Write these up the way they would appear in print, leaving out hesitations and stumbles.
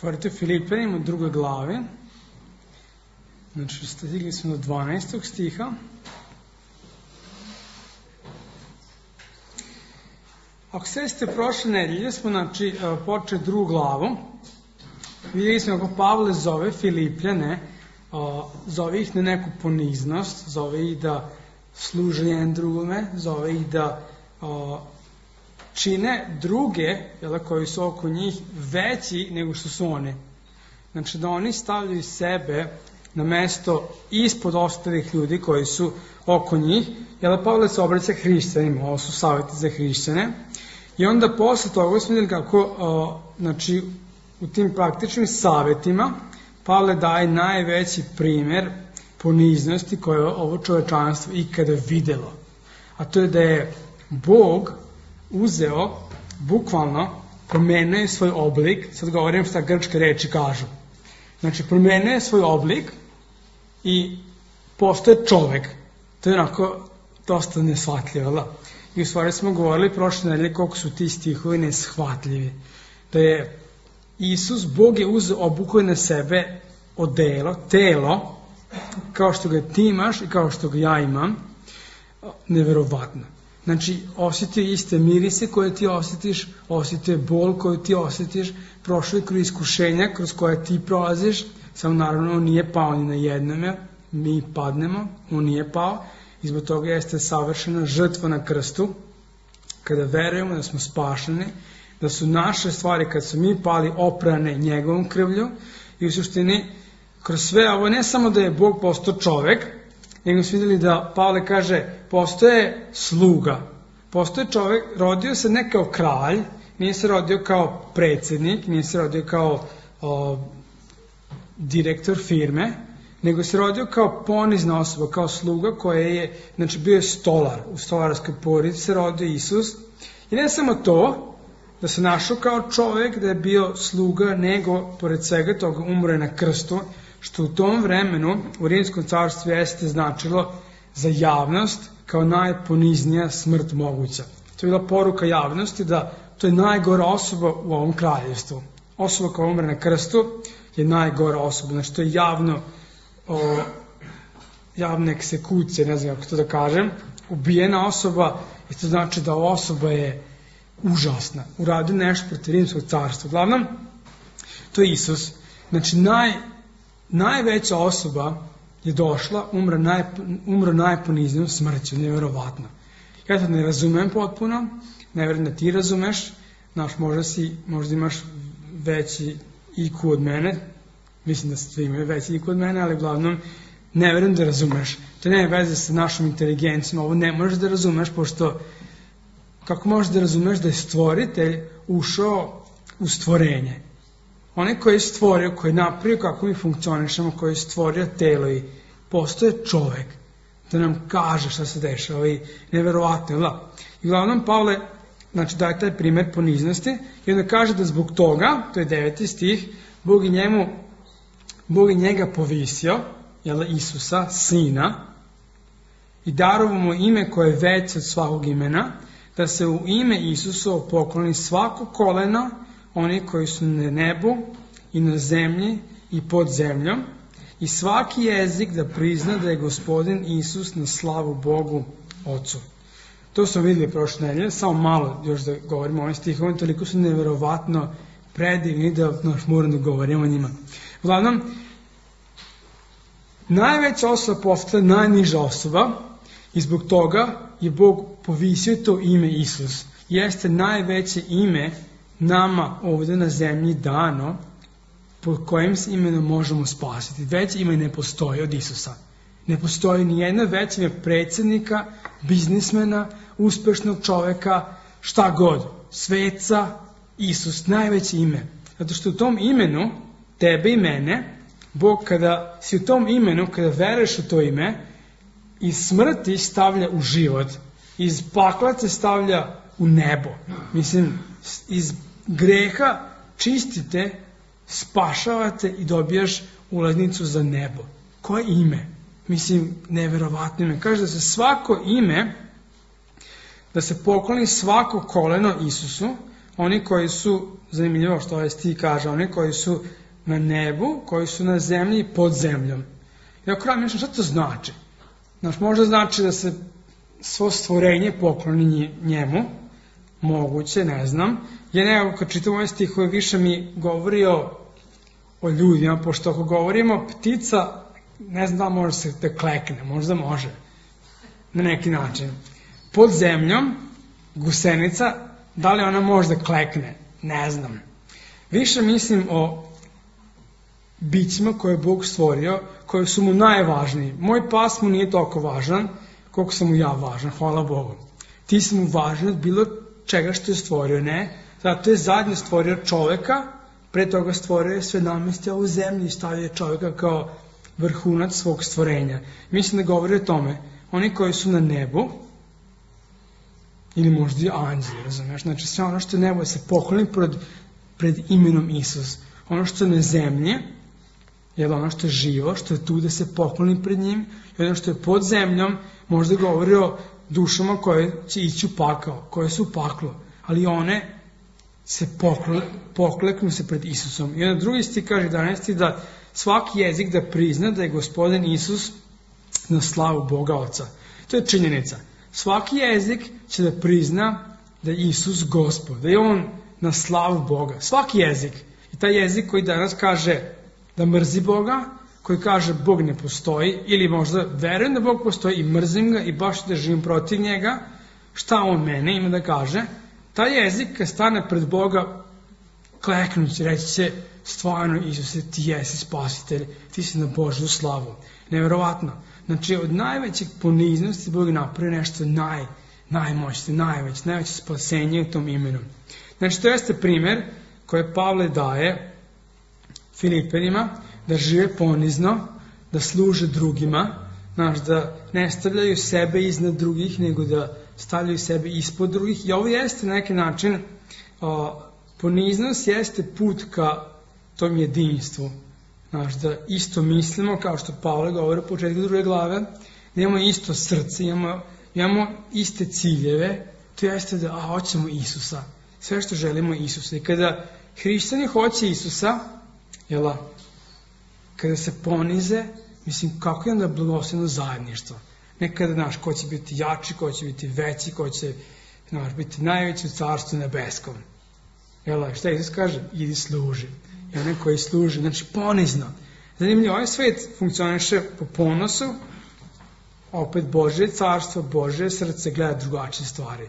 Otvorite Filipljanima u 2. glavi. Znači, stigli smo do 12. stiha. Ako ste prošle nedelje, smo počeli 2. glavu. Vidjeli smo kako Pavle zove Filipljane, zove ih na neku poniznost, zove ih da služe jedan drugome, zove ih da čine druge, koji su oko njih, veći nego što su one. Znači da oni stavljaju sebe na mesto ispod ostalih ljudi koji su oko njih. Pavle se obraća hrišćanima, ovo su savjeti za hrišćane. I onda posle toga smo vidjeli kako, u tim praktičnim savjetima Pavle daje najveći primjer poniznosti koje je ovo čovečanstvo ikada videlo. A to je da je Bog uzeo, bukvalno, promenio je svoj oblik, sad govorim šta grčke reči kažu. Znači, promenio je svoj oblik i postoje čovek. To je onako dosta neshvatljivo. I u stvari smo govorili prošle nedelje koliko su ti stihovi neshvatljivi. Da je Isus, Bog je uzeo, obukao na sebe odelo, telo, kao što ga ti imaš i kao što ga ja imam, neverovatno. Znači, osjetio iste mirise koje ti osjetiš, osjetio bol koju ti osjetiš, prošao je kroz iskušenja kroz koje ti prolaziš, samo naravno on nije pao ni na jednome, mi padnemo, on nije pao, i zbog toga jeste savršena žrtva na krstu, kada verujemo da smo spašeni, da su naše stvari, kad su mi pali, oprane njegovom krvlju, i u suštini, kroz sve ovo, ne samo da je Bog postao čovek, nego smo vidjeli da Pavle kaže, postoje sluga, postoje čovek, rodio se ne kao kralj, nije se rodio kao predsjednik, nije se rodio kao direktor firme, nego se rodio kao ponizna osoba, kao sluga koja je, znači bio je stolar, u stolarskoj porodici se rodio Isus. I ne samo to, da se našao kao čovjek, da je bio sluga, nego, pored svega toga, umre na krstu, što u tom vremenu u Rimskom carstvu jeste značilo za javnost kao najponiznija smrt moguća. To je bila poruka javnosti da to je najgora osoba u ovom kraljevstvu. Osoba koja umre na krstu je najgora osoba, znači to je javna eksekucija, ne znam kako to da kažem, ubijena osoba, i to znači da ova osoba je užasna, uradio nešto protiv Rimskog carstva. Uglavnom, to je Isus. Znači, najveća osoba je došla, umro najponiznijom smrću, nevjerovatno. Ja to ne razumem potpuno, ne vjerujem da ti razumeš, možda imaš veći IQ od mene, mislim da svi imaju veći IQ od mene, ali uglavnom ne vjerujem da razumeš. To nema veze sa našom inteligencijom, ovo ne možeš da razumeš, pošto kako možeš da razumeš da je stvoritelj ušao u stvorenje? Onaj koji je stvorio, koji je napravio kako mi funkcionišemo, koji je stvorio telo i postoje čovek da nam kaže šta se dešava i neverovatno. I uglavnom Pavle daje taj primjer poniznosti i onda kaže da zbog toga, to je 9. stih, Bog je njega povisio, Isusa, sina, i darovao mu ime koje je veće od svakog imena, da se u ime Isusovo pokloni svako koleno, oni koji su na nebu i na zemlji i pod zemljom, i svaki jezik da prizna da je Gospodin Isus na slavu Bogu Ocu. To smo vidjeli prošle nedelje, samo malo još da govorimo o ovim stihovima, toliko su neverovatno predivni da moram da govorimo o njima. Uglavnom, najveća osoba postala najniža osoba i zbog toga je Bog povisio to ime Isus. Jeste najveće ime nama ovdje na zemlji dano, po kojim se imenom možemo spasiti. Veće ime ne postoji od Isusa. Ne postoji ni jedno veće ime predsjednika, biznismena, uspešnog čoveka, šta god. Sveca, Isus, najveće ime. Zato što u tom imenu, tebe i mene, Bog kada si u tom imenu, kada veruješ u to ime, iz smrti stavlja u život, iz pakla te stavlja u nebo. Mislim, iz greha čistite, spašavate i dobijaš ulaznicu za nebo. Koje ime? Mislim, neverovatno ime. Kaže da se svako ime, da se pokloni svako koleno Isusu, oni koji su, zanimljivo što ovaj stih kaže, oni koji su na nebu, koji su na zemlji i pod zemljom. I ako razmišljam, šta to znači? Znaš, možda znači da se svo stvorenje pokloni njemu, moguće, ne znam. Ja nekako kad čitam ovaj stih, više mi govori o ljudima, pošto ako govorimo ptica, ne znam da može se da klekne, možda može, na neki način. Pod zemljom, gusenica, da li ona može da klekne? Ne znam. Više mislim o bićima koje je Bog stvorio, koji su mu najvažniji. Moj pas mu nije toliko važan, koliko sam mu ja važan, hvala Bogu. Ti si mu važan od bilo čega što je stvorio, ne? Zato je zadnje stvorio čoveka, pre toga stvorio je sve namestio u zemlji i stavio čoveka kao vrhunac svog stvorenja. Mislim da govori o tome, oni koji su na nebu, ili možda i anđeli, razumiješ? Znači sve ono što je nebo se pokloni pred imenom Isus. Ono što je na zemlji, je ono što je živo, što je tu da se pokloni pred njim, i ono što je pod zemljom, možda govori o dušama koje će ići u pakao, koje su u paklu, ali one se pokleknu se pred Isusom. I onda drugi stih kaže 11. da svaki jezik da prizna da je Gospodin Isus na slavu Boga Oca. To je činjenica. Svaki jezik će da prizna da je Isus Gospod, da je On na slavu Boga. Svaki jezik. I taj jezik koji danas kaže da mrzi Boga, koji kaže Bog ne postoji, ili možda verujem da Bog postoji i mrzim ga i baš da živim protiv njega, šta on mene ima da kaže, taj jezik kad stane pred Boga, kleknući, reći će, stvarno Isuse, ti jesi spasitelj, ti si na Božju slavu. Neverovatno. Znači, od najvećeg poniznosti Bog napravi nešto najmoćnije, najveće spasenje u tom imenu. Znači, to jeste primjer koje Pavle daje Filipenima, da žive ponizno, da služe drugima, da ne stavljaju sebe iznad drugih, nego da stavljaju sebe ispod drugih. I ovo jeste na neki način, poniznost jeste put ka tom jedinstvu. Da isto mislimo, kao što Pavle govori u početku 2. glave, da imamo isto srce, imamo iste ciljeve, to jeste da hoćemo Isusa. Sve što želimo Isusa. I kada hrišćani hoće Isusa, kada se ponize, mislim, kako je onda blagosloveno zajedništvo. Nekada, ko će biti jači, ko će biti veći, ko će biti najveći u carstvu nebeskom. Šta Isus kaže? Idi služi. I onaj koji služi, znači ponizno. Zanimljivo, ovaj svet funkcioniše po ponosu, opet Božje carstvo, Božje srce gleda drugačije stvari.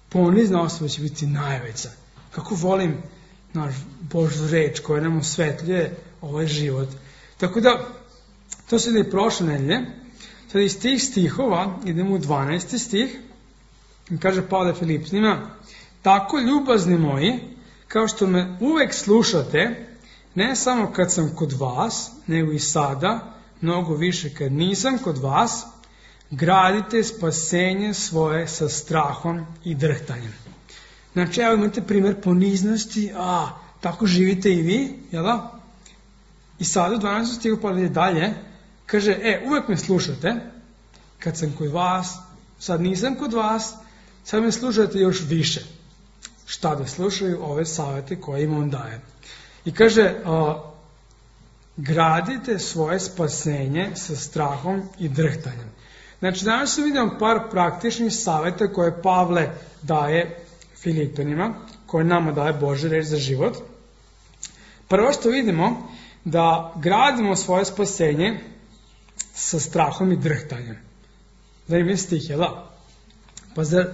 Ponizna osoba će biti najveća. Kako volim Božju reč koja nam osvetljuje ovaj život. Tako da, to se da je prošle nedelje. Sada iz tih stihova idemo u 12. stih. Kaže Pavle Filipenima, tako ljubazni moji, kao što me uvek slušate, ne samo kad sam kod vas, nego i sada, mnogo više kad nisam kod vas, gradite spasenje svoje sa strahom i drhtanjem. Znači, evo imate primjer poniznosti, tako živite i vi, jel da? I sada u 12. stihu Pavle dalje, kaže, uvek me slušate, kad sam kod vas, sad nisam kod vas, sad me slušate još više. Šta da slušaju ove savete koje im on daje. I kaže, gradite svoje spasenje sa strahom i drhtanjem. Znači, danas vidimo par praktičnih saveta koje Pavle daje Filipenima, koje nama daje Božja reč za život. Prvo što vidimo, da gradimo svoje spasenje sa strahom i drhtanjem. Zanimljiv stih, Pa zar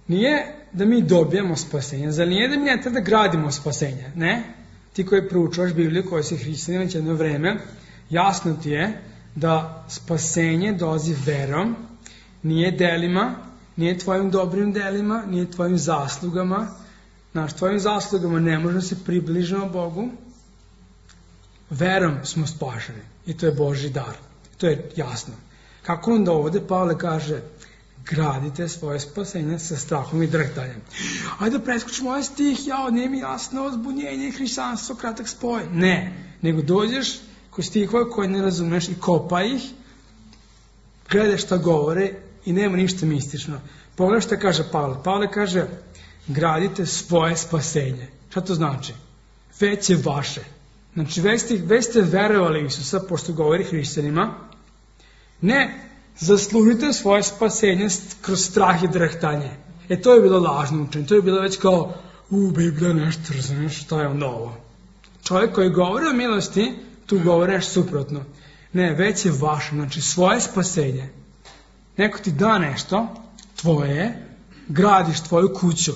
nije da mi dobijemo spasenje? Zar nije da mi ne treba da gradimo spasenje? Ne? Ti koji proučavaš Bibliju, koji si hrišćanin već jedno vreme, jasno ti je da spasenje dolazi verom, nije delima, nije tvojim dobrim delima, nije tvojim zaslugama. Tvojim zaslugama ne možemo se približiti Bogu. Verom smo spašeni. I to je Božji dar. To je jasno. Kako onda ovdje Pavle kaže, gradite svoje spasenje sa strahom i drhtanjem. Ajde da preskočimo ovaj stih, nije mi jasno, zbunjenje i hrišćanstvo, kratak spoj. Ne, nego dođeš kod stihova koje ne razumeš i kopaj ih, gledaš šta govore i nema ništa mistično. Pogledaj šta kaže Pavle. Pavle kaže, gradite svoje spasenje. Šta to znači? Već je vaše. Znači, već ste verovali Isusa, pošto govori hrišćanima, ne zaslužite svoje spasenje kroz strah i drhtanje. To je bilo lažno učenje, to je bilo već kao, Biblija nešto, razumiješ, šta je onda ovo? Čovjek koji govori o milosti, tu govori nešto suprotno. Ne, već je vaše, znači svoje spasenje. Neko ti da nešto, tvoje je, gradiš tvoju kuću.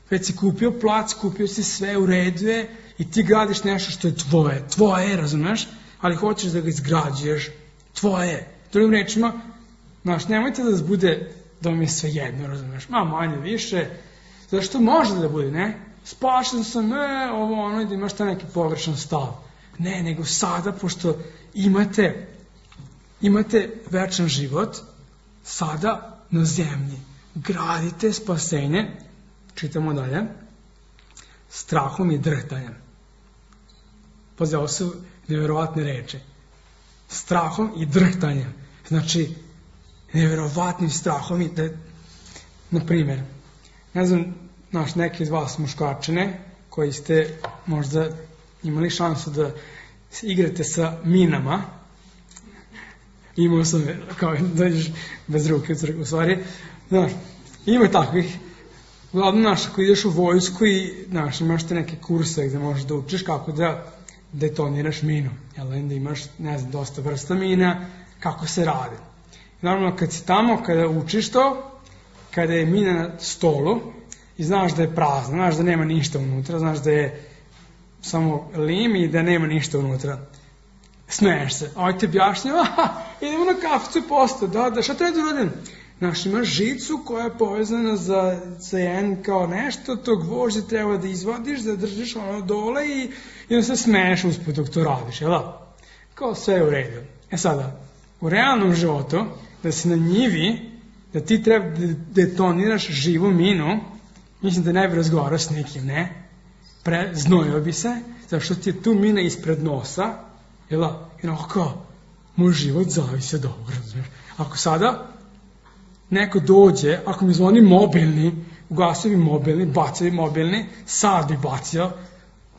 Već si kupio plac, kupio si sve, u redu je, i ti gradiš nešto što je tvoje. Tvoje je, razumiješ, ali hoćeš da ga izgrađuješ. Tvoje je. Drugim rečima, nemojte da vas bude da vam je sve jedno, razumiješ, manje više, zašto može da bude, ne? Spašen sam, i da imaš taj neki pogrešan stav. Ne, nego sada, pošto imate večan život, sada na zemlji gradite spasenje, čitamo dalje, strahom i drhtanjem. Pazi, ovo su nevjerovatne reči. Strahom i drhtanjem. Znači, nevjerovatnim strahom i na primjer, ne znam, neki od vas muškarčine koji ste možda imali šansu da igrate sa minama, imao sam kao da ideš bez ruke u crkvu, u stvari, ima takvih, uglavnom ako ideš u vojsku i imaš te neke kurse gde možeš da učiš kako da detoniraš minu, da imaš, dosta vrsta mina, kako se radi. Normalno, kad si tamo, kada učiš to, kada je mina na stolu i znaš da je prazna, znaš da nema ništa unutra, znaš da je samo lim i da nema ništa unutra, smeješ se. Ovo ti objašnjava, idemo na kaficu i posto, da, šta treba da uradim? Imaš žicu koja je povezana za jedan kao nešto, to gvožđe treba da izvadiš, da držiš ono dole i onda se smeješ usput dok to radiš, jel da? Kao sve je u redu. Sada, u realnom životu, da si na njivi, da ti treba da detoniraš živu minu, mislim da ne bi razgovarao s nekim, ne? Znojio bi se, zato što ti je tu mina ispred nosa, jel da? I kao, moj život zavisi od ovoga, razumiješ? Ako sada neko dođe, ako mi zvoni mobilni, ugasio bi mobilni, bacio bi mobilni, sad bi bacio,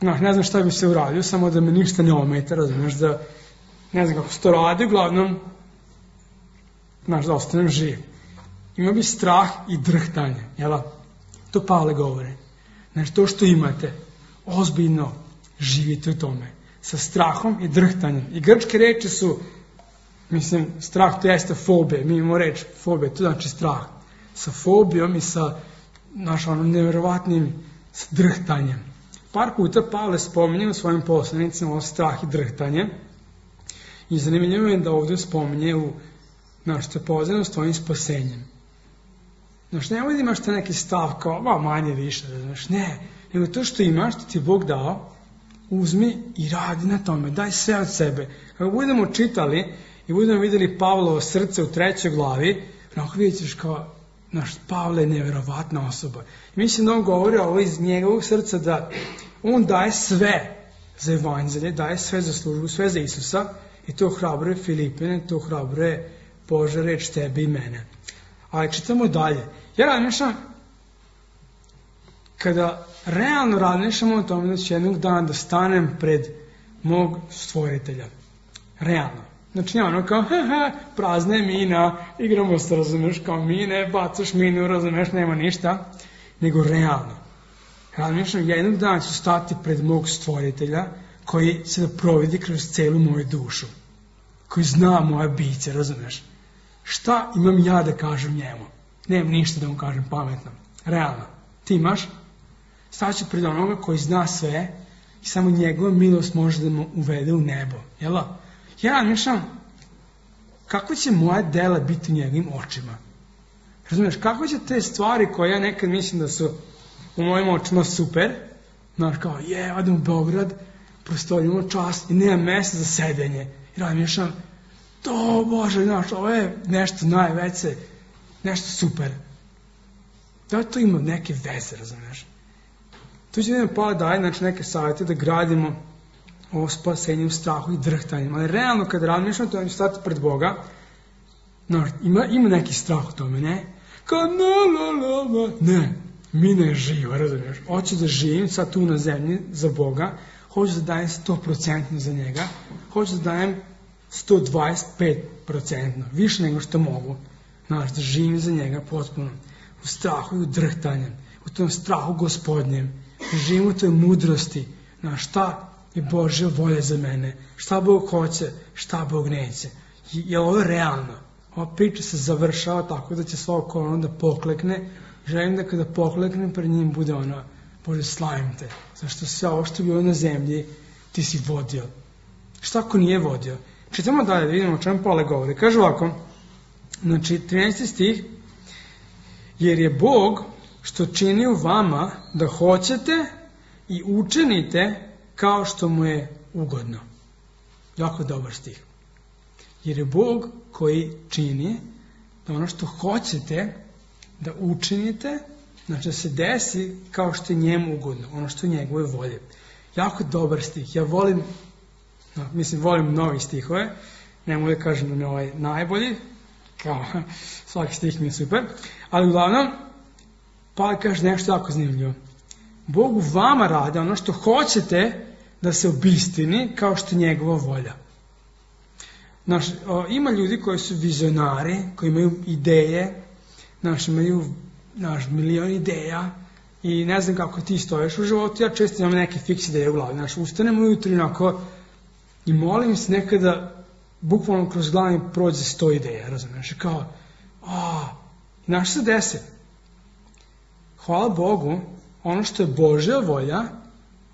ne znam šta bi se uradio, samo da me ništa ne ometa, razumiješ, da ne znam kako se to radi, uglavnom, da ostanem živ. Ima bi strah i drhtanje, jel? To Pavle govori. Znači, to što imate, ozbiljno živite u tome, sa strahom i drhtanjem. I grčke reči su, strah to jeste fobija, mi imamo reč fobija, to znači strah. Sa fobijom i sa nevjerovatnim drhtanjem. Par puta Pavle spominje u svojim poslanicima o strah i drhtanje. I zanimljivo je da ovdje spominje što je povezano s tvojim spasenjem. Nemoj da imaš te neki stav kao, manje više, ne, nego to što imaš, što ti je Bog dao, uzmi i radi na tome, daj sve od sebe. Kako budemo čitali i budemo vidjeli Pavlovo srce u 3. glavi, onako vidjet ćeš kao, Pavle je nevjerovatna osoba. I mislim da on govori ovo iz njegovog srca, da on daje sve za evanđelje, daje sve za službu, sve za Isusa, i to hrabruje Filipine, to hrabruje Božja reč tebe i mene. Ali čitamo dalje. Ja razmišljam, kada realno razmišljamo o tome da ću jednog dana da stanem pred mog stvoritelja. Realno. Znači, kao, prazna je mina, igramo se, razumeš, kao mine, bacaš minu, razumeš, nema ništa. Nego realno. Razmišljam, jednog dana ću stati pred mog stvoritelja, koji se da providi kroz celu moju dušu. Koji zna moje biće, razumeš. Šta imam ja da kažem njemu? Nemam ništa da mu kažem pametno. Realno. Ti imaš? Staću pred onoga koji zna sve i samo njegova milost može da mu uvede u nebo. Jel? Ja mišljam, kako će moja dela biti u njegovim očima? Razumiješ, kako će te stvari koje ja nekad mislim da su u mojim očima super, kao, odem u Beograd, prostorimo čast i nema mjesta za sedenje. I razmišljam, to Bože, ovo je nešto najveće, nešto super. Da to ima neke veze, razumiješ? Tu će Pavle daje neke savjete da gradimo ovo spasenje u strahu i drhtanjem. Ali realno kad razmišljam, to je stati pred Boga, ima neki strah u tome, ne? Kao ne. mine je živa, razumiješ? Hoću da živim sad tu na zemlji za Boga, hoću da dajem 100% za njega, hoću da dajem 125%, više nego što mogu, znaš, da živim za njega potpuno, u strahu i u drhtanjem, u tom strahu Gospodnjem, da živim u toj mudrosti, znaš, šta je Božja volja za mene, šta Bog hoće, šta Bog neće. Je ovo je realno? Ova priča se završava tako da će svako koleno da poklekne. Želim da kada pokleknem pred njim bude ono, Bože, slavim te, zašto sve ovo što je bilo na zemlji ti si vodio. Šta ako nije vodio? Čitamo dalje, da vidimo o čemu Pavle govori. Kaže ovako, znači 13. stih, jer je Bog što čini u vama da hoćete i učinite kao što mu je ugodno. Jako dobar stih. Jer je Bog koji čini da ono što hoćete da učinite, znači da se desi kao što je njemu ugodno, ono što je njegove volje. Jako dobar stih. Ja volim, volim novi stihove, ne mogu da kažem da mi je ovaj najbolji, kao svaki stih mi je super, ali uglavnom, Pavle kaže nešto jako zanimljivo. Bog u vama radi ono što hoćete da se obistini kao što je njegova volja. Ima ljudi koji su vizionari, koji imaju ideje, imaju milion ideja i ne znam kako ti stojiš u životu, ja često imam neke fiks ideje u glavi. Ustanem ujutro onako i molim se nekada, bukvalno kroz glavu mi prođe 100 ideja, razumiješ, kao, znaš se desi. Hvala Bogu, ono što je Božja volja,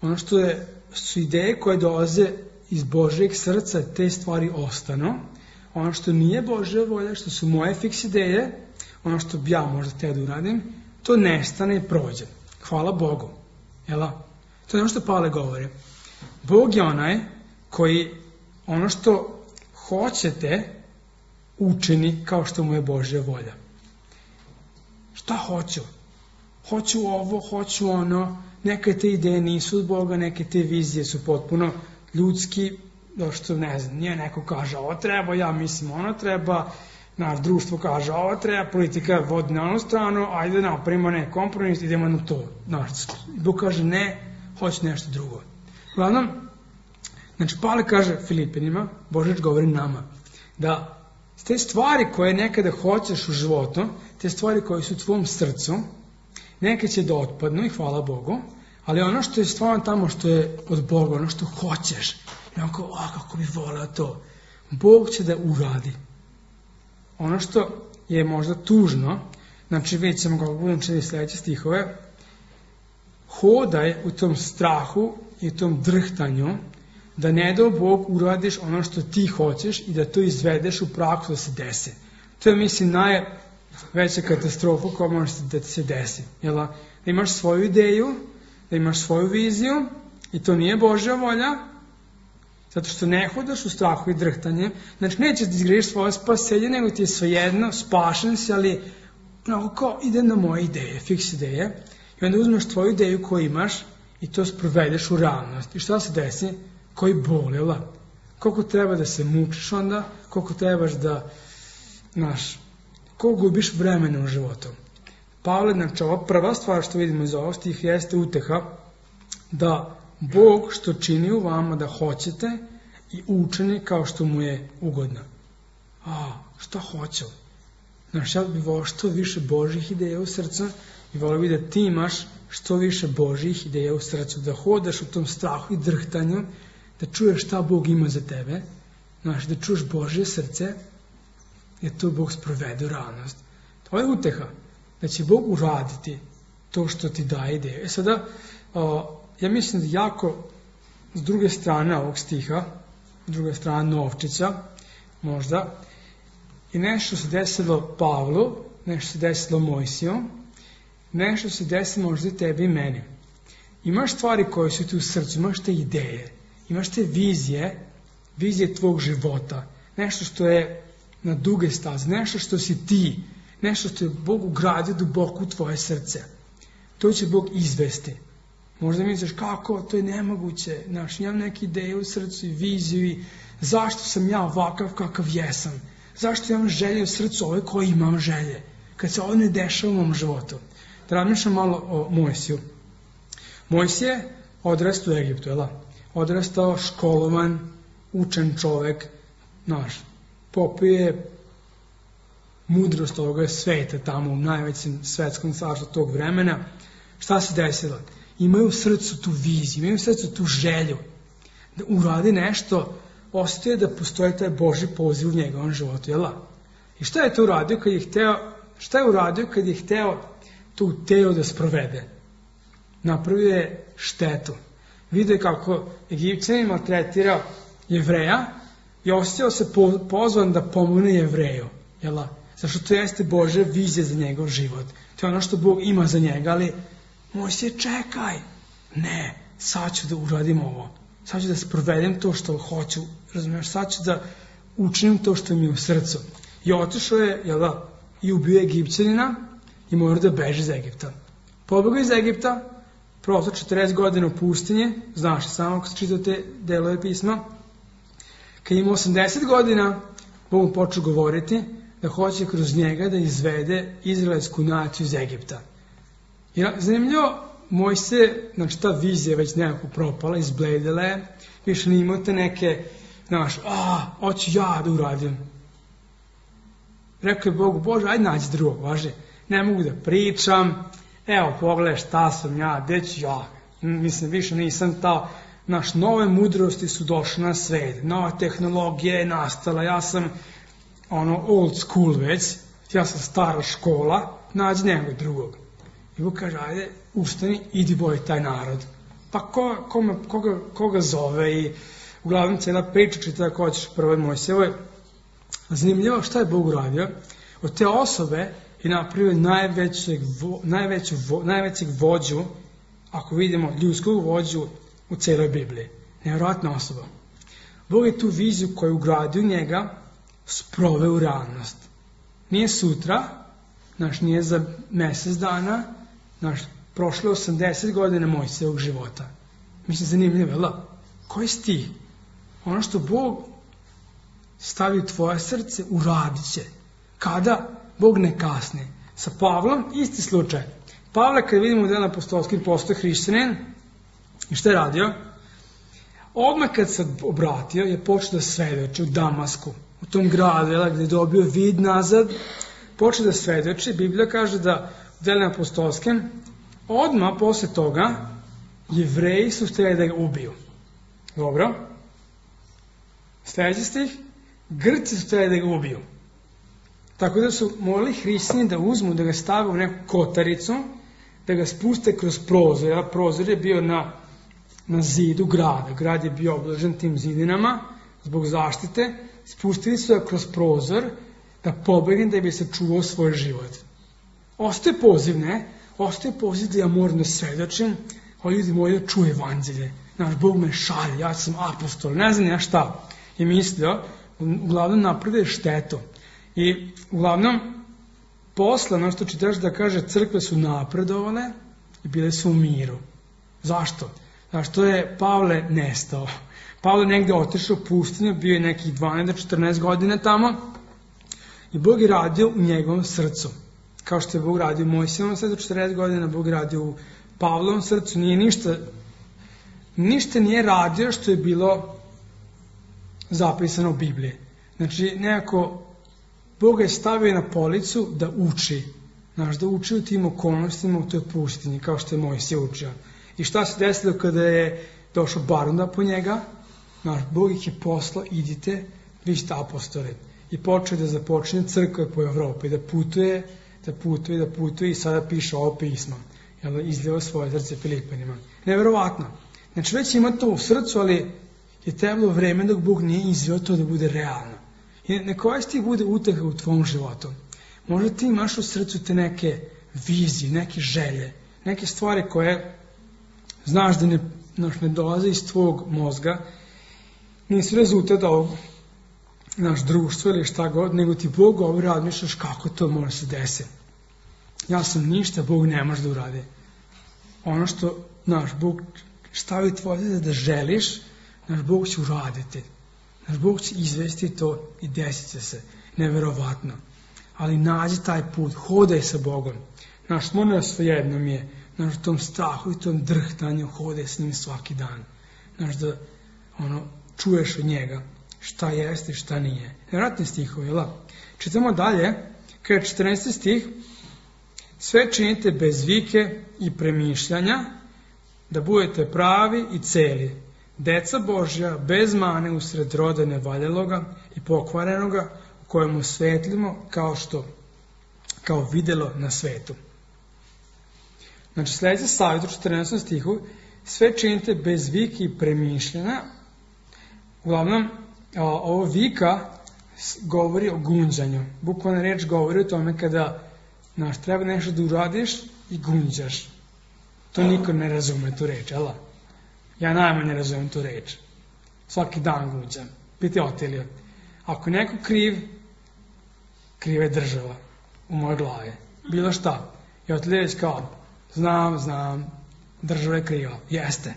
ono što su ideje koje dolaze iz Božjeg srca, te stvari ostanu. Ono što nije Božja volja, što su moje fiks ideje, ono što bi ja možda te da uradim, to nestane i prođe. Hvala Bogu. Jela? To je ono što Pavle govori. Bog je onaj koji ono što hoćete učini kao što mu je Božja volja. Šta hoću? Hoću ovo, hoću ono, neke te ideje nisu od Boga, neke te vizije su potpuno ljudski, što ne znam, nije neko kaže ovo treba, ja mislim ono treba, naš društvo kaže ovo treba, politika vodi na onu stranu, ajde napravimo neki kompromis, idemo na to. Bog kaže ne, hoće nešto drugo. Uglavnom, znači Pavle kaže Filipenima, Božić govori nama, da te stvari koje nekada hoćeš u životu, te stvari koje su u tvom srcu, neke će da otpadnu i hvala Bogu, ali ono što je stvarno tamo što je od Boga, ono što hoćeš, i onako, kako bi voleo to, Bog će da uradi. Ono što je možda tužno, znači vidjet ćemo kako budem čitati sljedeće stihove, hodaj u tom strahu i u tom drhtanju, da ne dao Bog uradiš ono što ti hoćeš i da to izvedeš u praksu da se desi. To je, mislim, najveća katastrofa koja može da se desi. Da imaš svoju ideju, da imaš svoju viziju i to nije Božja volja, zato što ne hodaš u strahu i drhtanjem, znači nećeš da izgradiš svoje spasenje, nego ti je svejedno, spašen si, ali kao ide na moje ideje, fiks ideje, i onda uzmeš tvoju ideju koju imaš i to sprovedeš u realnost. I šta se desi? Koji bol, koliko treba da se mučiš onda, koliko trebaš da, koliko gubiš vremena u životu. Pavle, znači ova prva stvar što vidimo iz ovog stiha jeste uteha da Bog što čini u vama da hoćete i učini kao što mu je ugodno. Šta hoću? Ja bih volio što više Božjih ideja u srcu i volio bih da ti imaš što više Božjih ideja u srcu, da hodaš u tom strahu i drhtanju, da čuješ šta Bog ima za tebe, da čuješ Božje srce, jer to Bog sprovede u realnost. To je uteha, da će Bog uraditi to što ti daje ideje. Sada, ja mislim da jako s druge strane ovog stiha, s druge strane novčića, možda, i nešto se desilo Pavlu, nešto se desilo Mojsiju, nešto se desilo možda i tebi i meni. Imaš stvari koje su ti u srcu, imaš te ideje, imaš te vizije tvog života, nešto što je na duge staze, nešto što si ti, nešto što je Bog ugradio duboko u tvoje srce. To će Bog izvesti. Možda misliš kako, to je nemoguće, imam neke ideje u srcu i viziju i zašto sam ja ovakav kakav jesam, zašto imam želje u srcu ove koje imam želje, kad se ovo ne dešava u mom životu. da razmišljam malo o Mojsiju. Mojsije odrastao u Egiptu, odrastao školovan, učen čovek, popio mudrost ovoga sveta tamo u najvećem svetskom carstvu tog vremena. Šta se desilo? Imaju u srcu tu viziju, imaju u srcu tu želju da uradi nešto, ostaje da postoji taj Božji poziv u njegovom životu, I šta je to uradio kad je hteo, kad je hteo tu teo da sprovede? Napravio je štetu. Vidio je kako Egipćanin maltretira Jevreja i osjećao se pozvan da pomogne Jevreju, Zašto to jeste Božja vizija za njegov život. To je ono što Bog ima za njega, ali Mojsije, čekaj. Ne, sad ću da uradim ovo. Sad ću da sprovedem to što hoću, razumiješ, sad ću da učinim to što mi je u srcu. I otišao je, i ubio Egipćanina i mora da beže iz Egipta. Pobegao iz Egipta, prosto 40 godina u pustinji, znaš samo ako čitate delove pisma. Kad ima 80 godina, Bog mu počeo govoriti da hoće kroz njega da izvede izraelsku naciju iz Egipta. I zanimljivo, Mojsije, ta vizija već nekako propala, izbledela je, više ne imate neke, hoću ja da uradim. Rekao je Bogu, Bože, ajde nađi drugog, važi, ne mogu da pričam, evo pogledaj šta sam ja, gde ću ja, više nisam ta, nove mudrosti su došle na svet, nova tehnologija je nastala, ja sam old school već, ja sam stara škola, nađi nekog drugog. I Bog kaže, ajde, ustani, idi boj taj narod. Pa koga zove i uglavnom cijela priča čita ako hoćeš prvo Mojsijevoj. Zanimljivo šta je Bog uradio. Od te osobe je napravio najvećeg vođu, ako vidimo ljudskog vođu u cijeloj Bibliji. Nevjerojatna osoba. Bog je tu viziju koju ugradio njega sproveo u realnost. Nije sutra, nije za mjesec dana, prošlo 80 godina Mojsijevog života. Mislim, zanimljivo, koji si ti? Ono što Bog stavi u tvoje srce, uradit će. Kada? Bog ne kasne. Sa Pavlom, isti slučaj. Pavle, kad vidimo u Delima apostolskim, postoje hrišćanin, i šta je radio? Odmah kad se obratio, je počeo da svedoči u Damasku, u tom gradu, gdje je dobio vid nazad, počeo da svedoči. Biblija kaže da u Delima apostolskim, odmah posle toga, Jevreji su htjeli da ga ubiju. Dobro? Sljedeći stih, Grci su htjeli da ga ubiju. Tako da su morali hrišćani da uzmu, da ga stave u neku kotaricu, da ga spuste kroz prozor. Prozor je bio na zidu grada. Grad je bio obložen tim zidinama zbog zaštite. Spustili su ga kroz prozor da pobegne, da bi se čuvao svoj život. Ostaje poziv, Ostaje poziv da ja moram da svedočim, ali ljudi moji da čuje evanđelje. Bog me šalje, ja sam apostol, ne znam ja šta. I mislio, uglavnom napravio štetu. I uglavnom, posle, što čitaš da kaže, crkve su napredovale i bile su u miru. Zašto? Zašto je Pavle nestao? Pavle negde otišao u pustinju, bio je nekih 12-14 godina tamo i Bog je radio u njegovom srcu. Kao što je Bog radio u Mojsijevom srcu 40 godina, Bog je radio u Pavlovom srcu. Ništa nije radio što je bilo zapisano u Bibliji. Nekako Bog je stavio na policu da uči. Da uči u tim okolnostima u toj pustinji, kao što je Mojsije učio. I šta se desilo kada je došao Barnaba po njega? Bog ih je poslao, idite, vi ste apostoli. I počeo da započne crkve po Evropi, da putuje i sada piše ovo pismo. Izljeva svoje srce Filipanima. Neverovatno. Već ima to u srcu, ali je trebalo vreme dok Bog nije izveo to da bude realno. I neka ovaj stih bude uteha u tvom životu. Možda ti imaš u srcu te neke vizije, neke želje, neke stvari koje znaš da ne dolaze iz tvog mozga, nisu rezultat ovog naš društvo ili šta god, nego ti Bog govori, razmišljaš kako to može se desiti. Ja sam ništa, Bog ne može da uradi. Ono što Bog stavi tvoje da želiš, Bog će uraditi. Bog će izvesti to i desit će se. Neverovatno. Ali nađi taj put, hodaj sa Bogom. Naš mora svejedno mi je, znaš, tom strahu i tom drhtanju hode s njim svaki dan. Znaš, da čuješ od njega šta jeste i šta nije. Nevratni stihovi, jel? Čitamo dalje, kada je 14. stih, sve činite bez vike i premišljanja, da budete pravi i celi, deca Božja, bez mane usred roda nevaljaloga i pokvarenoga, u kojemu svetlimo kao videlo na svetu. Znači, sljedeći savjet u 14. stihu, sve činite bez vike i premišljanja. Uglavnom, ovo vika govori o gunđanju. Bukvalna reč govori o tome kada treba nešto da uradiš i gunđaš. To niko ne razume, tu reč, jel? Ja najmanje razumem tu reč. Svaki dan gunđam. Piti Otilija. Ako neko kriv je država u mojoj glavi. Bilo šta. I Otilija je kao, znam, država je kriva. Jeste.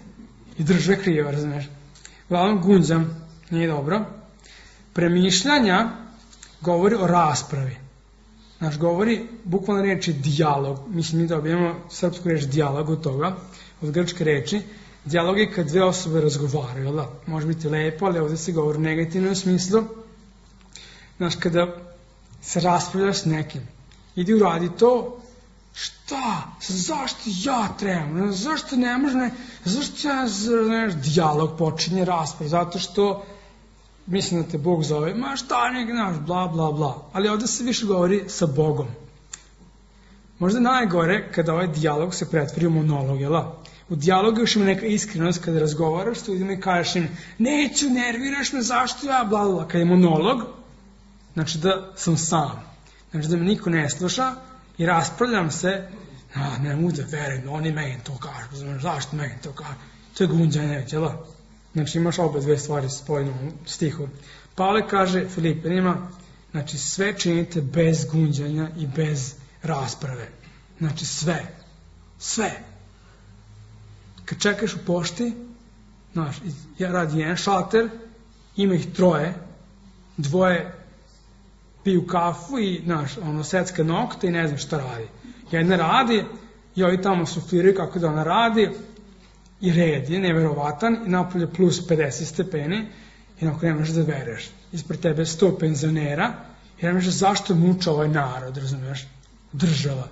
I država je kriva, razumeš? Uglavnom gunđam, nije dobro. Premišljanja govori o raspravi. Znači, govori, bukvalno reči dijalog. Mislim, mi dobijemo srpsku reč dijalog od toga, od grčke reči. Dijalog je kad dve osobe razgovaraju, jel da? Može biti lepo, ali ovdje se govori u negativnom smislu. Znači, kada se raspravljaš s nekim, idi uradi to, šta? Zašto ja trebam? Zašto ne može? Zašto ja, dijalog počinje rasprav? Zato što mislim da te Bog zove, ma šta nek naš, bla, bla, bla. Ali ovdje se više govori sa Bogom. Možda najgore kada ovaj dijalog se pretvori u monolog, jel? U dijalogu još ima neka iskrenost kada razgovaraš s ljudima i kažeš im, neću, nerviraš me, zašto ja, bla, bla. Kada je monolog, znači da sam sam. Znači da me niko ne sluša i raspravljam se, ne mogu da verujem, oni meni to kažu, zašto meni to kažu. To je gunđanje, jel? Znači imaš obe dve stvari spojene u stihu. Pavle kaže Filipenima, znači sve činite bez gunđanja i bez rasprave. Znači sve. Kad čekaš u pošti, znaš, ja radi jedan šalter, ima ih troje, dvoje piju kafu i, znaš, secka nokte i ne znam šta radi. Jedna radi i ovi tamo sufliraju kako da ona radi i red je neverovatan i napolje plus 50 stepeni i onako ne možeš da veruješ. Ispred tebe 100 penzionera i ne možeš zašto muča ovaj narod, razumiješ? Država.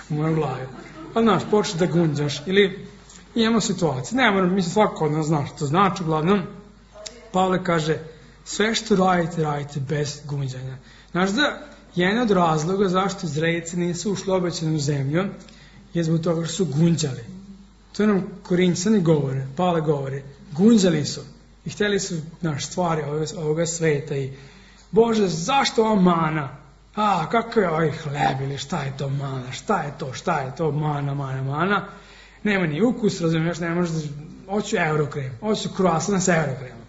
U mojoj glavi. Pa znaš, počeš da gunđaš ili imamo situacije. Ne moram, mislim svako od nas zna što to znači. Uglavnom, Pavle kaže, sve što radite bez gunđanja. Znaš da jedan od razloga zašto Izraelci nisu ušli u obećanu zemlju je zbog toga što su gunđali. To nam Korinćani govore, Pavle govori, gunđali su i htjeli su stvari ovoga sveta i Bože, zašto ova mana? Kako je ovaj hleb ili šta je to mana? Šta je to mana? Nema ni ukus, razumiješ, ne možeš, hoću eurokrem, hoću kruasan sa eurokremom.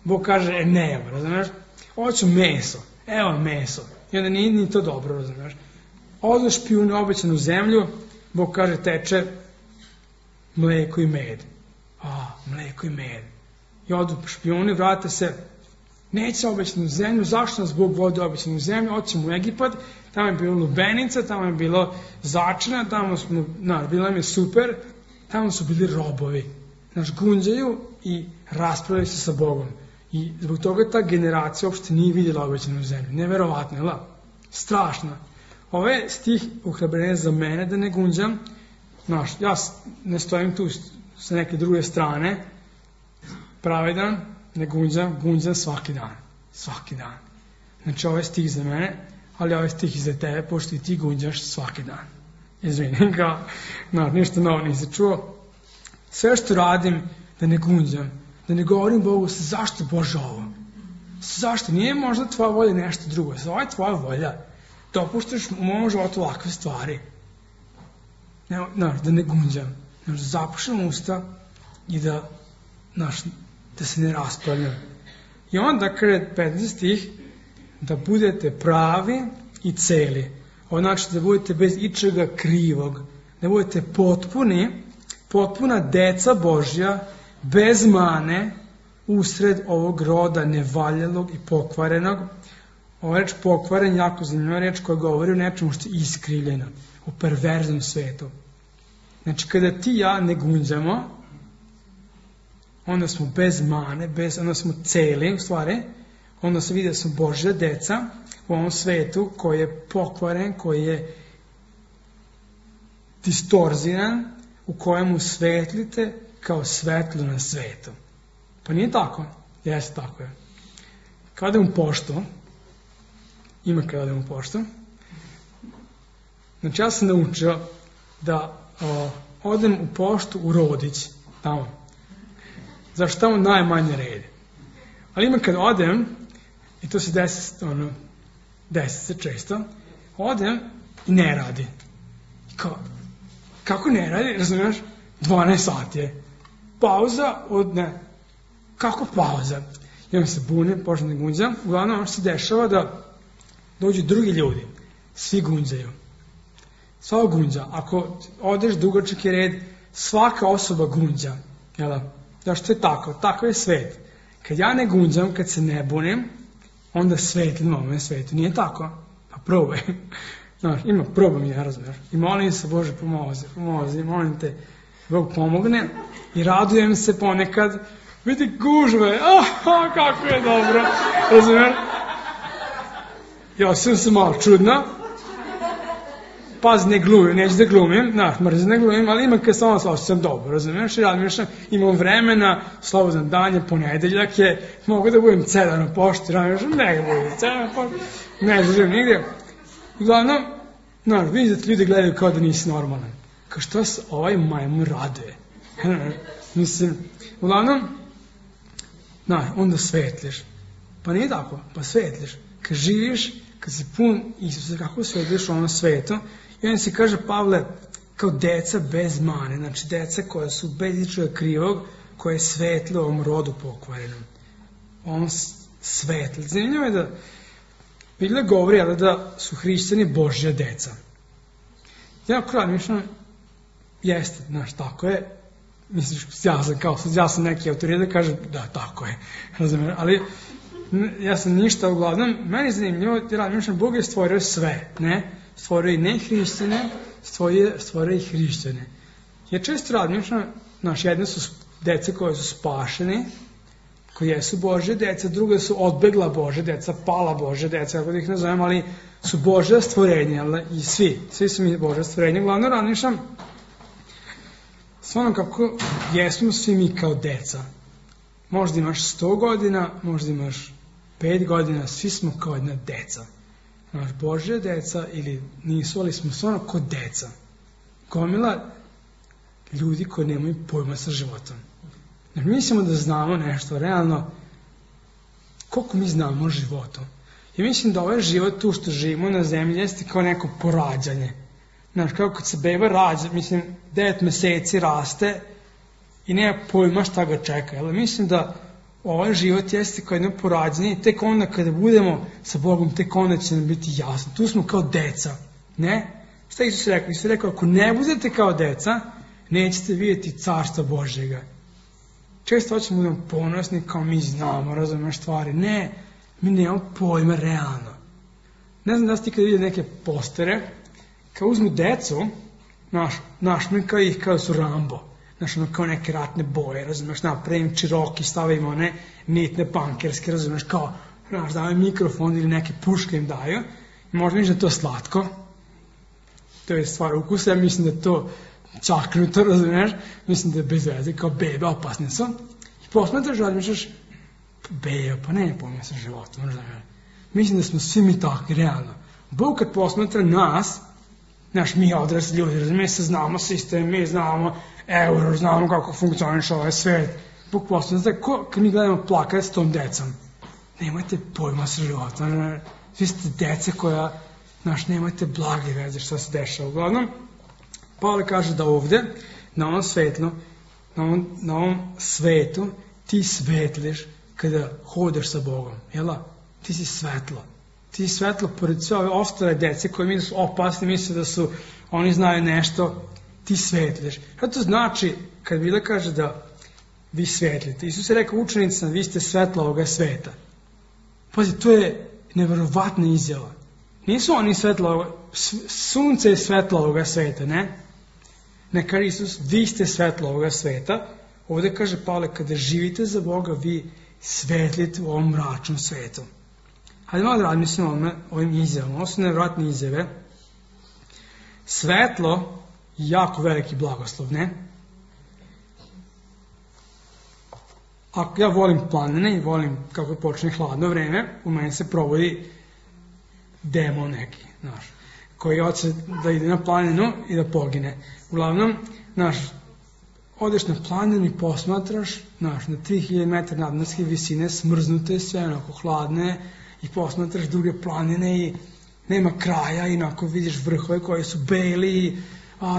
Bog kaže, nema, razumiješ, hoću meso, evo meso. I onda nije ni to dobro, razumiješ. Odeš piju na obećanu zemlju, Bog kaže, teče mleko i med. Mleko i med. I odu špijuni, vrate se, neće obećanu zemlju, zašto nas Bog vodi obećanu zemlju, oćemo u Egipat, tamo je bilo lubenica, tamo je bilo začina, tamo smo, bilo nam je super, tamo su bili robovi. Gunđaju i raspravljaju se sa Bogom. I zbog toga ta generacija uopšte nije vidjela obećanu zemlju. Neverovatno, jel? Strašno. Ovaj stih uhrabrenje za mene da ne gunđam. Ja ne stojim tu sa neke druge strane. Pravedan, ne gunđam svaki dan. Svaki dan. Znači ovaj stih za mene, ali ovaj stih i za tebe, pošto i ti gunđaš svaki dan. Izvinim ga, ništa novo nisi čuo. Sve što radim da ne gunđam, da ne govorim Bogu zašto Bože ovo? Zašto? Nije možda tvoja volja nešto drugo. Ovo je tvoja volja. Dopuštaš u mojom životu ovakve stvari. Da ne gunđam. Da zapušam usta i da se ne raspravljam. I onda kada 15 stih, da budete pravi i celi. Ovo znači da budete bez ičega krivog. Da budete potpuna deca Božja, bez mane, usred ovog roda nevaljalog i pokvarenog, ova reč pokvaren jako zanimljiva reč koja govori o nečemu što je iskrivljeno, o perverznom svetu. Znači, kada ti i ja ne gunđamo, onda smo bez mane, onda smo celi, u stvari, onda se vidi da smo Božja deca u ovom svetu koji je pokvaren, koji je distorziran, u kojemu svetlite kao svetlo na svetu. Pa nije tako? Jeste, tako je. Kada idem u poštu, ima kada idem u poštu, znači ja sam naučio da odem u poštu u Rodić, tamo. Zašto tamo najmanje red. Ali ima kad odem, i to se desi se često, odem i ne radi. Kako ne radi? Razumiješ? 12 sati je. Pauza od ne. Kako pauza? I onda se bunim, počnem da gunđam. Uglavnom ono što se dešava da dođu drugi ljudi. Svi gunđaju. Svako gunđa. Ako odeš dugačak je red, svaka osoba gunđa. Jel? Zašto je tako? Tako je svet. Kad ja ne gunđam, kad se ne bunim, onda svetlim ovome svetu. Nije tako? Pa probaj. Znaš, probam ja, razumiješ. I molim se, Bože, pomozi, molim te, Bog pomogne. I radujem se ponekad, vidi gužve, kako je dobro, razumiješ. Ja sam malo čudna, pazi, ne glumim, neću da glumim, mrzim ne glumim, ali imam kad samo osjećam dobro, razumiješ, i razmišljam, imam vremena, slobodan dan je, ponedeljak je, mogu da budem cedar na pošti, razmišljam, ne budem cedar na pošti, ne želim nigdje. Uglavnom, vidiš da ti ljudi gledaju kao da nisi normalan. Kao što se ovaj majmun raduje. Mislim, uglavnom, onda svetliš. Pa nije tako, pa svetliš. Kad živiš, kad si pun Isusa, kako svetliš u ovom svetu, i onda se kaže Pavle, kao deca bez mane, znači deca koja su bez ičega krivog, koje je svetlo u ovom rodu pokvarenom. On svetli. Zanimljivo je da Biblija govori da su hrišćani Božja deca. Ja mislim, jeste, tako je. Misliš, ja sam neki autoritet da kažem, da, tako je. Razumiješ, ali ja sam ništa uglavnom. Meni je zanimljivo, mislim, Bog je stvorio sve, ne? Stvorio i nehrišćane, stvorio i hrišćane. Ja često razmišljam, jedne su dece koje su spašene, koji jesu Božje deca, druge su odbegla Božje deca, pala Božje deca, kako da ih nazovem, ali su Božja stvorenja, i svi su mi Božja stvorenja. Glavno razmišljam, stvarno kako jesmo svi mi kao deca. Možda imaš 100 godina, možda imaš 5 godina, svi smo kao jedna deca. Božja deca ili nisu, ali smo stvarno kao deca. Gomila ljudi koji nemaju pojma sa životom. Mislimo da znamo nešto, realno, koliko mi znamo o životu. I mislim da ovaj život tu što živimo na zemlji jeste kao neko porađanje. Znaš, kao kad se beba rađa, 9 meseci raste i nema pojma šta ga čeka. Ali mislim da ovaj život jeste kao jedno porađanje i tek onda kada budemo sa Bogom, tek onda će nam biti jasno. Tu smo kao deca, ne? Šta Isus rekao? Isus rekao, ako ne budete kao deca, nećete vidjeti carstva Božjega. Često hoćemo da budemo ponosni kao mi znamo, razumiješ stvari. Ne, mi nemamo pojma realno. Ne znam da ste ikada vidjeli neke postere, kao uzmu decu, našminka ih kao su Rambo, kao neke ratne boje, razumiješ, napravim čiroki, stavim one nitne pankerske, razumiješ, kao, daju mikrofon ili neke puške im daju, i možda misliš da je to slatko, to je stvar ukusa, ja mislim da je to čaknuto, razumiješ, mislim da je bez veze, kao bebe, opasne su, i posmetraš, razmišljaš, bebe, pa ne pojma sa životom, mislim da smo svi mi takvi, realno. Bog kad posmetra nas, mi odrasli ljudi, mi se znamo sistem, mi znamo euro, znamo kako funkcioniš ovaj svet, Bog posmetra, kad mi gledamo plakat s tom decom, nemojte pojma sa životom, vi ste dece koja, nemojte blage veze šta se dešava. Uglavnom, Pavle kaže da ovdje, na ovom svetlu, na ovom svetu, ti svetliš kada hodeš sa Bogom, jel'a? Ti si svetlo. Ti si svetlo pored sve ove ostale dece koje misle su opasni, misle da su, oni znaju nešto, ti svetliš. Šta to znači kad Biblia kaže da vi svetlite? Isus je rekao učenicima, vi ste svetlo ovoga sveta. Pazi, to je neverovatna izjava. Nisu oni sunce je svetlo ovoga sveta, ne? Ne kaže Isus, vi ste svetlo ovoga sveta. Ovdje kaže Pavle, kada živite za Boga, vi svetlite u ovom mračnom svetu. Hajde malo da razmislimo o ovim izjavama. Ovo su nevjerojatne izjave. Svetlo je jako veliki blagoslov, ne? Ako ja volim planine i volim kako počne hladno vreme, u meni se provodi demon neki, znaš, koji hoće da ide na planinu i da pogine. Uglavnom, znaš, odeš na planinu i posmatraš, znaš, na 3000 metara nadmorske visine, smrznute, sve onako hladne, i posmatraš druge planine i nema kraja i onako vidiš vrhove koji su beli,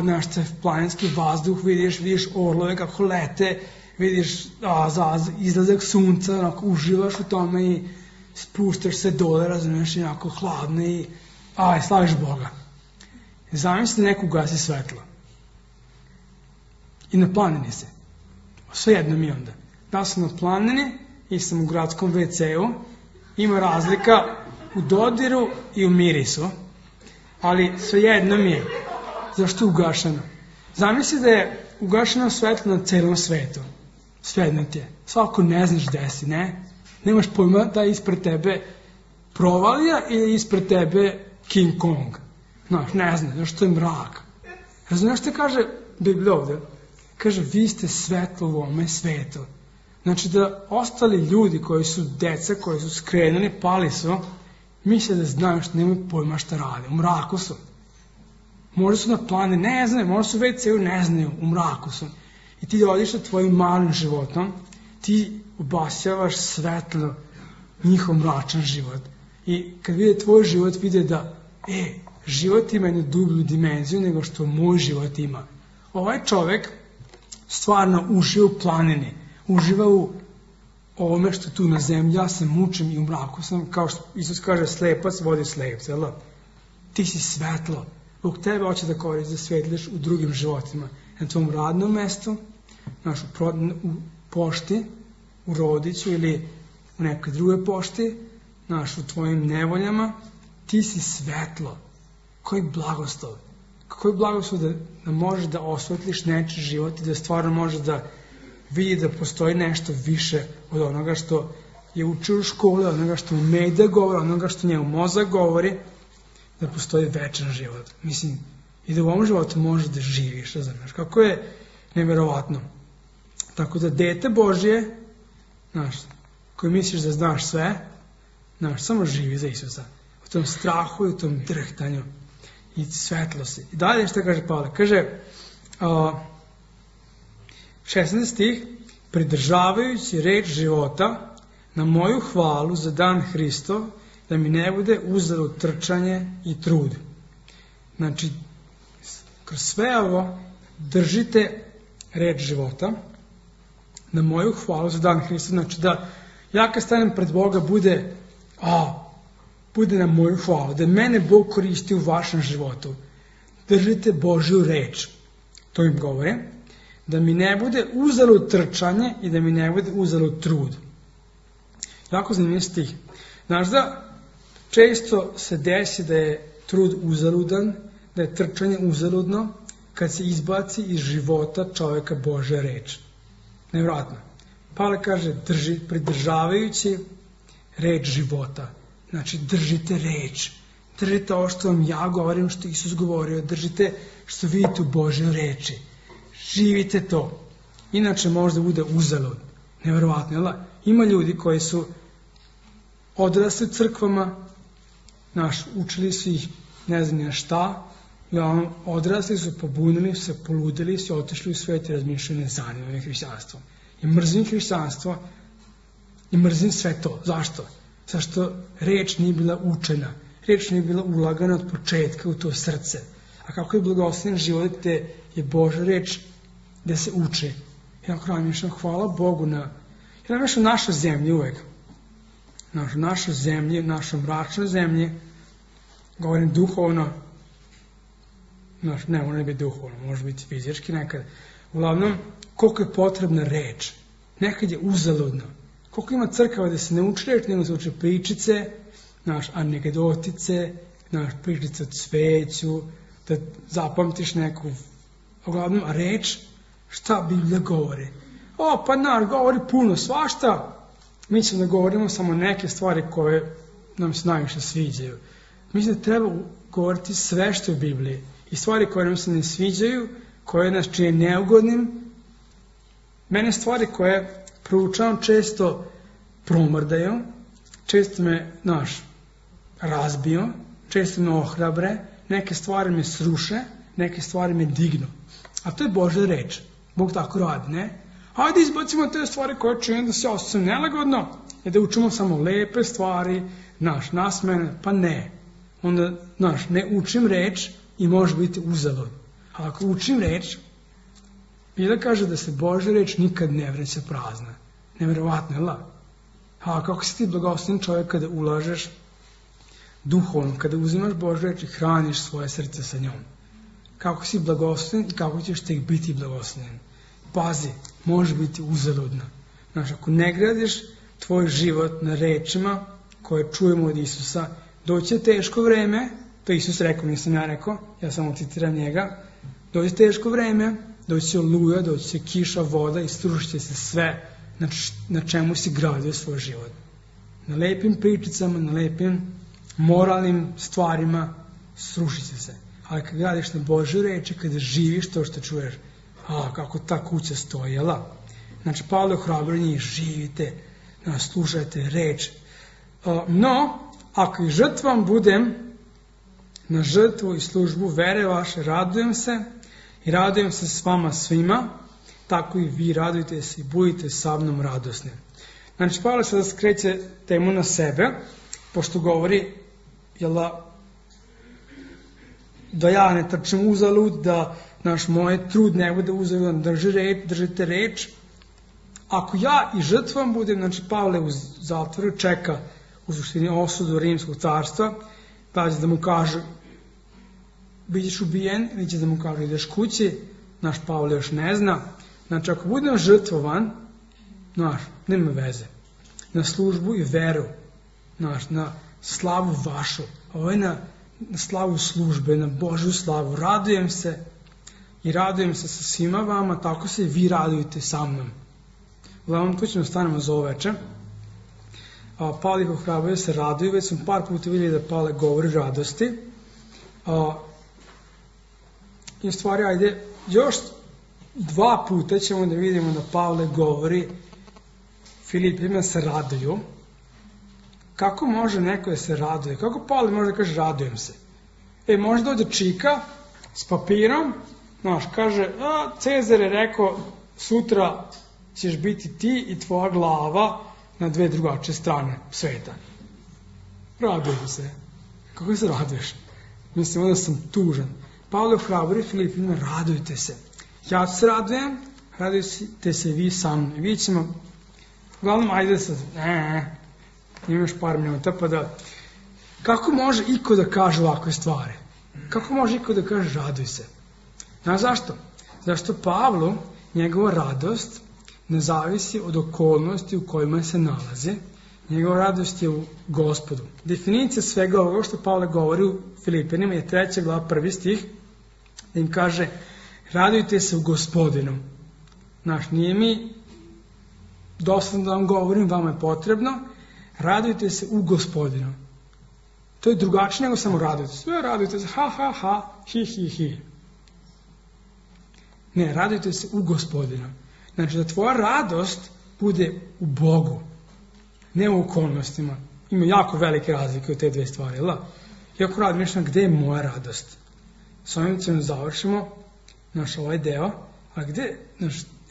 znaš, planinski vazduh, vidiš orlove kako lete, vidiš izlazak sunca, onako uživaš u tome i spuštaš se dole, razumiješ, i onako hladno i slaviš Boga. Zamisli neko ugasi svetlo. I na planini se. Svejedno mi onda. Da sam na planini i sam u gradskom WC-u, ima razlika u dodiru i u mirisu, ali svejedno mi je. Zašto je ugašeno? Zamisli da je ugašeno svetlo na celom svetu. Svejedno ti je. Svako ne znaš gde si, ne? Nemaš pojma da je ispred tebe provalija ili ispred tebe King Kong. Znaš, ne znaš, zašto je mrak. Razumiješ što kaže Biblija ovdje? Kaže, vi ste svetlo u ovome svetu. Znači da ostali ljudi koji su deca, koji su skrenuli, pali su, misle da znaju što nemaju pojma šta rade. U mraku su. Možda su na plane, ne znaju, možda su već ceo ne znaju, u mraku su. I ti odiš sa tvojim malim životom, ti obasjavaš svetlo njihov mračan život. I kad vide tvoj život, vide da, život ima jednu dublju dimenziju nego što moj život ima. Ovaj čovek stvarno uživa u planini, uživa u ovome što je tu na zemlji, ja se mučim i u mraku sam, kao što Isus kaže, slepac vodi slepca, jel? Ti si svetlo. Bog tebe hoće da koristi, da svetliš u drugim životima. Na tvom radnom mestu, u pošti, u Rodiću ili u nekoj drugoj pošti, u tvojim nevoljama, ti si svetlo. Koji blagoslov. Koji blagoslov da možeš da osvetliš nečiji život i da stvarno možeš da vidi da postoji nešto više od onoga što je učio u školi, od onoga što umeje da govori, od onoga što njemu mozak govori, da postoji večan život. Mislim, i da u ovom životu možeš da živiš, znaš, kako je neverovatno. Tako da dete Božje, znaš, koji misliš da znaš sve, znaš, samo živi za Isusa. U tom strahu i u tom drhtanju i svetlo si. I dalje što kaže Pavle? Kaže, 16 stih, pridržavajući reč života na moju hvalu za dan Hristov, da mi ne bude uzalud trčanje i trud. Znači, kroz sve ovo držite reč života na moju hvalu za dan Hristov. Znači da ja kad stanem pred Boga bude na moju hvalu, da mene Bog koristi u vašem životu. Držite Božju reč. To im govore. Da mi ne bude uzalud trčanje i da mi ne bude uzalud trud. Jako zanimljiv stih. Znaš da često se desi da je trud uzaludan, da je trčanje uzaludno, kad se izbaci iz života čovjeka Božja reč. Nevjerojatno. Pavle kaže, pridržavajući reč života. Znači, držite reč. Držite ovo što vam ja govorim, što Isus govorio. Držite što vidite u Božjoj reči. Živite to. Inače možda bude uzalud. Nevjerojatno, jel? Ima ljudi koji su odrasli u crkvama, učili su ih ne znam na šta, odrasli su, pobunili su se, poludili su, otišli u svijet i razmišljaju, ne zanima me hrišćanstvo. I mrzim hrišćanstvo i mrzim sve to. Zašto? Zašto reč nije bila učena, reč nije bila ulagana od početka u to srce. A kako je blagoslovljen život gde je Božja reč gde se uči. Ja razmišljam, hvala Bogu ja razmišljam našoj zemlji uvek. Našoj zemlji, našoj mračnoj zemlji, govorim duhovno, ne mora biti duhovno, može biti fizički nekad. Uglavnom, koliko je potrebna reč. Nekad je uzaludno. Koliko ima crkava da se ne uči reč, nego se uče pričice, anegdotice, pričice o cveću, da zapamtiš neku, uglavnom, reč, šta Biblija govori. Govori puno svašta, mi ćemo da govorimo samo neke stvari koje nam se najviše sviđaju. Mislim da treba govoriti sve što je u Bibliji i stvari koje nam se ne sviđaju, koje nas čine neugodnim. Mene stvari koje proučavam često promrdaju, često me, razbiju, često me ohrabre, neke stvari me sruše, neke stvari me dignu. A to je Božja reč. Bog tako radi, ne? Hajde izbacimo te stvari koje čine da se osjećam nelagodno i da učimo samo lepe stvari, nasmene, pa ne. Onda, ne učim reč i može biti uzalud. A ako učim reč, Biblia kaže da se Božja reč nikad ne vraća prazna. Nevjerovatno, jel da? A kako si ti blagosloven čovjek kada ulažeš duhovno, kada uzimaš Božju reč i hraniš svoje srce sa njom. Kako si blagosloven i kako ćeš tek biti blagosloven. Pazi, može biti uzaludno. Ako ne gradiš tvoj život na rečima koje čujemo od Isusa, doći je teško vreme, to Isus rekao, nisam ja rekao, ja samo citiram njega, doći teško vreme, doći će oluja, doći će kiša, voda i srušit će se sve na čemu si gradio svoj život. Na lepim pričicama, na lepim moralnim stvarima srušit će se. Ali kad gradiš na Božju reči, kada živiš to što čuješ, kako ta kuća stoji, jel da? Pavle ohrabruje njih, živite, slušajte reč. No, ako i žrtvom budem na žrtvu i službu vere vaše, radujem se i radujem se s vama svima, tako i vi radujte se i budite sa mnom radosni. Pavle sada skreće temu na sebe, pošto govori, jel da ja ne trčim uzalud, da moj trud ne bude uzalud, držite reč. Ako ja i žrtvom budem, Pavle u zatvoru čeka u suštini osudu Rimskog carstva, pa će da mu kažu bit ćeš ubijen, ili će da mu kažu ideš kući, Pavle još ne zna. Ako budem žrtvovan, nema veze. Na službu i veru, na slavu vašu, ovo je na slavu službe, na Božju slavu. Radujem se i radujem se sa svima vama, tako se i vi radujete sa mnom. Uglavnom, tu ćemo stanemo za ovo veče. Pavle ih ohrabruje se raduju, već sam par puta vidjeli da Pavle govori radosti. I u stvari, ajde, još 2 puta ćemo da vidimo da Pavle govori Filipima se raduju. Kako može neko da se raduje? Kako Pavle može da kaže radujem se? Može dođe čika s papirom, kaže, Cezar je rekao, sutra ćeš biti ti i tvoja glava na 2 drugačije strane sveta. Radujem se. Kako se raduješ? Mislim, onda sam tužan. Pavle ohrabruje Filipima, radujte se. Ja se radujem, radujte se vi sa mnom. Vi ćemo, uglavnom, ajde sad, imaš par minuta, pa da, kako može iko da kaže ovakve stvari? Kako može iko da kaže raduj se? Znaš zašto? Zašto Pavlu njegova radost ne zavisi od okolnosti u kojima se nalaze, njegova radost je u Gospodu. Definicija svega ovoga što Pavle govori u Filipinima je 3. glava 1. stih, da im kaže radujte se u Gospodinu. Nije mi dosadno da vam govorim, vama je potrebno, radujte se u Gospodinu. To je drugačije nego samo radujte se. Sve radujte se, ha, ha, ha, hi, hi, hi. Ne, radujte se u Gospodinu. Da tvoja radost bude u Bogu, ne u okolnostima. Ima jako velike razlike u te 2 stvari, jel da? Iako radim nešto, gde je moja radost? S ovim ćemo završimo ovaj deo, a gde,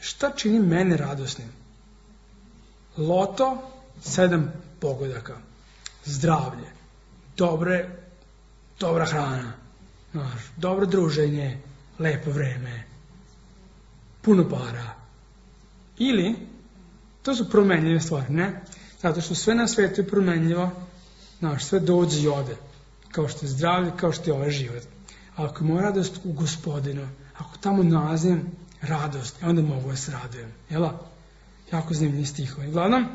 šta čini mene radosnim? Loto, 7 pogodaka, zdravlje, dobra hrana, dobro druženje, lepo vreme, puno para. Ili, to su promenljive stvari, ne? Zato što sve na svijetu je promenljivo, sve dođe i ode, kao što je zdravlje, kao što je ovaj život. A ako je moja radost u Gospodinu, ako tamo nalazim radost, onda mogu da se radujem. Jel? Jako zanimljivi stihovi. Uglavnom,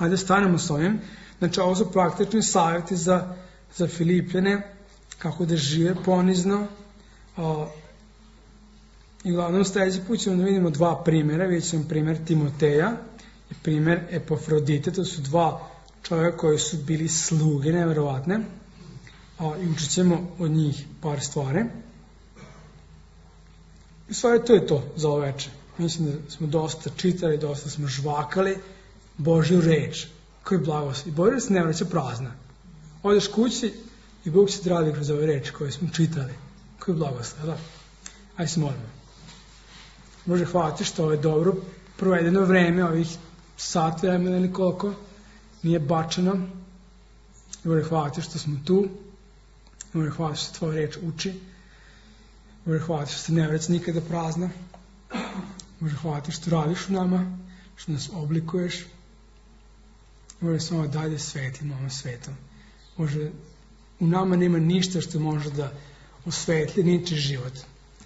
Ajde stanemo s ovim. Znači, ovo su praktični savjeti za Filipljane, kako da žive ponizno. I uglavnom sljedeći put ćemo da vidimo dva primjera. Vidjet ćemo primjer Timoteja i primjer Epafrodite. To su dva čovjeka koji su bili sluge, nevjerovatne. I učit ćemo od njih par stvari. I stvari to je to za ovo večer. Mislim da smo dosta čitali, dosta smo žvakali Božju reč. Koji blagoslov. I Božja se ne vraća prazna. Odeš kući i Bog će ti radi kroz ove reči koje smo čitali. Koji blagoslov, da? Ajde se molimo. Bože, hvala ti što je dobro provedeno vreme, ovih sat vremena ili koliko, nije bačeno. Bože, hvala ti što smo tu. Bože, hvala ti što tvoja reč uči. Bože, hvala ti što se ne vraća nikada prazna. Bože, hvala ti što radiš u nama, što nas oblikuješ. Bože, samo dalje svetlimo ovom svetom. Bože, u nama nema ništa što može da osvetli niči život.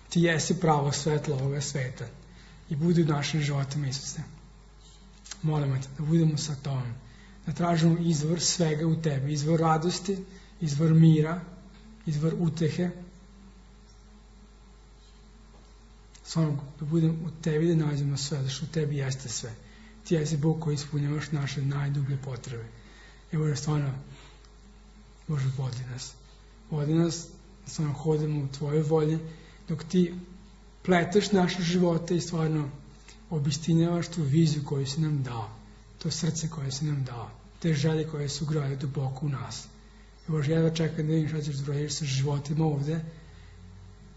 Ti jesi pravo svetlo ovoga sveta i budi u našim životima, Isuse. Molimo te da budemo sa tobom, da tražimo izvor svega u tebi, izvor radosti, izvor mira, izvor utehe. Samo da budemo u tebi, da nađemo sve, da što u tebi jeste sve. Ti jesi Bog koji ispunjavaš naše najdublje potrebe. I Bože, stvarno, Bože, vodi nas, stvarno hodimo u tvojoj volji, dok ti pleteš naše živote i stvarno obistinjavaš tu viziju koju si nam dao, to srce koje si nam dao, te želje koje su ugrade duboko u nas. I Bože, jedva čekam da vidim šta ćeš zbrojiti sa životima ovde,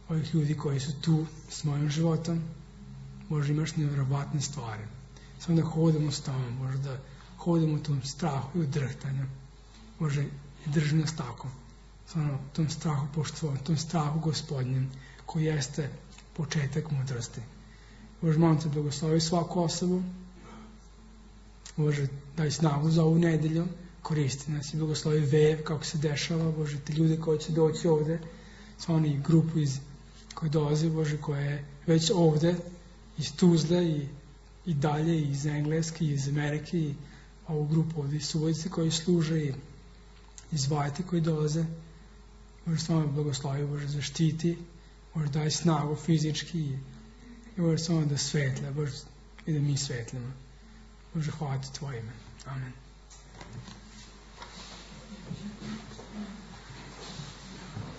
ovih ljudi koji su tu s mojim životom. Bože, imaš nevjerovatne stvari. Samo da hodimo s tobom, Bože, da hodimo u tom strahu i u drhtanju. Bože, drži nas tako. Samo tom strahu poštovanju, tom strahu Gospodnjem, koji jeste početak mudrosti. Bože, molim te, blagoslovi svaku osobu. Bože, daj snagu za ovu nedelju, koristi nas i blagoslovi vev, kako se dešava. Bože, ti ljudi koji će doći ovde, sva oni grupu koji dolaze, Bože, koja je već ovde, iz Tuzle i dalje, iz Engleske, iz Amerike, i ovu grupu ovde, iz Subotice koji služe, i iz Vajte koji dolaze. Bože, samo blagoslovi, Bože, zaštiti, Bože, daj snagu fizički i Bože, samo da svetle, Bože, i da mi svetlimo. Bože, hvala ti tvoje ime. Amen.